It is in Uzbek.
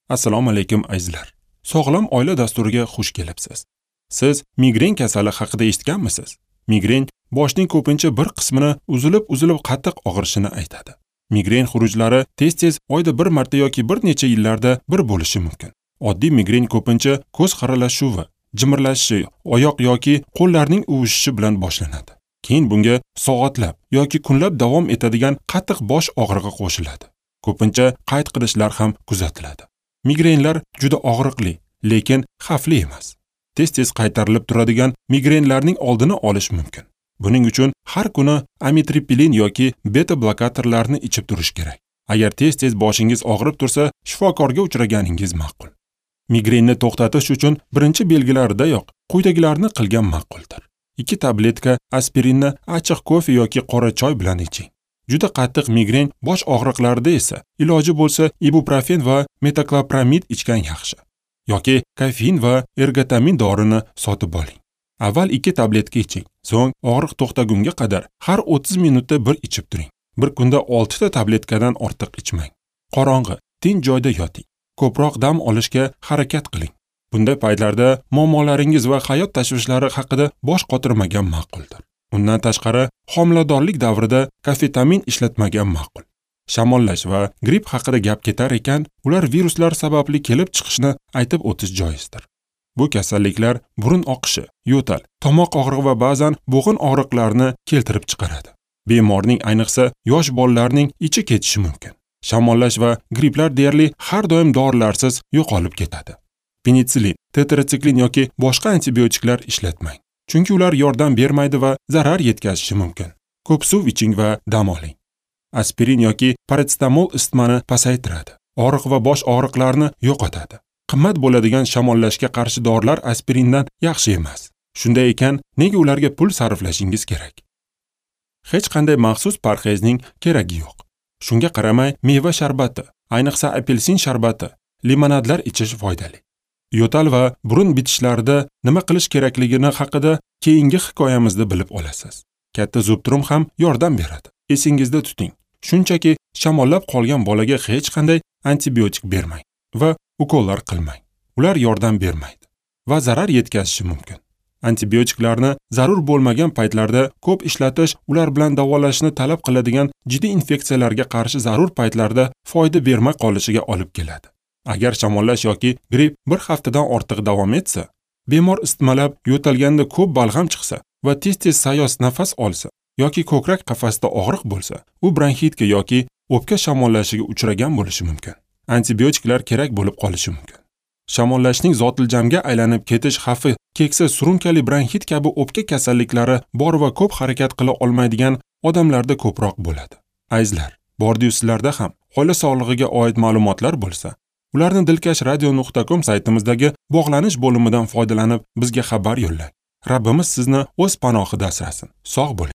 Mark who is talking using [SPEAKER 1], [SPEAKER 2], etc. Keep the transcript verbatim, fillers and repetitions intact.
[SPEAKER 1] Assalomu alaykum azizlar. Sog'lom oila dasturiga xush kelibsiz. Siz migren kasali haqida eshitganmisiz? Migren boshning ko'pincha bir qismini uzilib-uzilib qattiq og'rishini aytadi. Migren xurujlari tez-tez oyda bir marta yoki bir necha yillarda bir bo'lishi mumkin. Oddiy migren ko'pincha ko'z xiralashuvi, jimirlashishi, oyoq yoki qo'llarning uvishishi bilan boshlanadi. Keyin bunga soatlab yoki kunlab davom etadigan qattiq bosh og'rig'i qo'shiladi. Ko'pincha qayt qilishlar ham kuzatiladi. Migrenlar juda og'riqli, lekin xavfli emas. Tez-tez qaytarilib turadigan migrenlarning oldini olish mumkin. Buning uchun har kuni amitriptilin yoki beta blokatorlarni ichib turish kerak. Agar tez-tez boshingiz og'rib tursa, shifokorga uchraganingiz ma'qul. Migrenni to'xtatish uchun birinchi belgilaridayoq quyidagilarni qilgan ma'quldir. Ikki tabletka aspirinni achchiq kofe yoki qora choy bilan iching. Juda qattiq migren bosh og'riqlarida esa iloji bo'lsa ibuprofen va metoklopramid ichgan yaxshi. Yoki kofein va ergotamin dorini sotib oling. Avval ikki tabletka iching, so'ng og'riq to'xtagunga qadar har o'ttiz minutda bir ichib turing. Bir kunda oltita tabletkadan ortiq ichmang. Qorong'i, tinch joyda yoting. Ko'proq dam olishga harakat qiling. Bunday paytlarda muammolaringiz va hayot tashvishlari haqida bosh qotirmagan ma'quldir. Undan tashqari, homiladorlik davrida kofetamin ishlatmagan ma'qul. Shamollash va gripp haqida gap ketar ekan, ular viruslar sababli kelib chiqishini aytib o'tish joizdir. Bu kasalliklar burun oqishi, yo'tal, tomoq og'rig'i va ba'zan bo'g'in og'riqlarini keltirib chiqaradi. Bemorning, ayniqsa yosh bolalarning ichi ketishi mumkin. Shamollash va gripplar deyarli har doim dorilarsiz yo'qolib ketadi. Penitsilin, tetratsiklin yoki boshqa antibiotiklar ishlatmang. Chunki ular yordam bermaydi va zarar yetkazishi mumkin. Ko'p suv iching va dam oling. Aspirin yoki parasetamol isitmani pasaytiradi. Og'riq va bosh og'riqlarini yo'qotadi. Qimmat bo'ladigan shamollashga qarshi dorilar aspirindan yaxshi emas. Shunday ekan, nega ularga pul sarflashingiz kerak? Hech qanday maxsus parhezning keragi yo'q. Shunga qaramay, meva sharbati, ayniqsa apelsin sharbati, limonadlar ichish foydali. Yo'tal va burun bitishlarida nima qilish kerakligini haqida keyingi hikoyamizda bilib olasiz. Katta zubtrum ham yordam beradi. Esingizda tuting. Shunchaki shamollab qolgan bolaga hech qanday antibiotik bermang va ukollar qilmang. Ular yordam bermaydi va zarar yetkazishi mumkin. Antibiotiklarni zarur bo'lmagan paytlarda ko'p ishlatish ular bilan davolashni talab qiladigan jiddiy infeksiyalarga qarshi zarur paytlarda foyda bermay qolishiga olib keladi. Agar shamollash yoki gripp bir haftadan ortiq davom etsa, bemor isitmalab yo'talganda ko'p balg'am chiqsa va tez-tez sayoz nafas olsa yoki ko'krak qafasida og'riq bo'lsa, u bronxitga yoki o'pka shamollashiga uchragan bo'lishi mumkin. Antibiotiklar kerak bo'lib qolishi mumkin. Shamollashning zotiljamga aylanib ketish xavfi keksa surunkali bronxit kabi o'pka kasalliklari bor va ko'p harakat qila olmaydigan odamlarda ko'proq bo'ladi. Azizlar, bordiyu sizlarda ham oila sog'lig'iga oid ma'lumotlar bo'lsa, ularni dilkash radio nuqta com saytimizdagi bog'lanish bo'limidan foydalanib bizga xabar yo'llang. Rabbimiz sizni o'z panohida asrasin. Sog' bo'ling.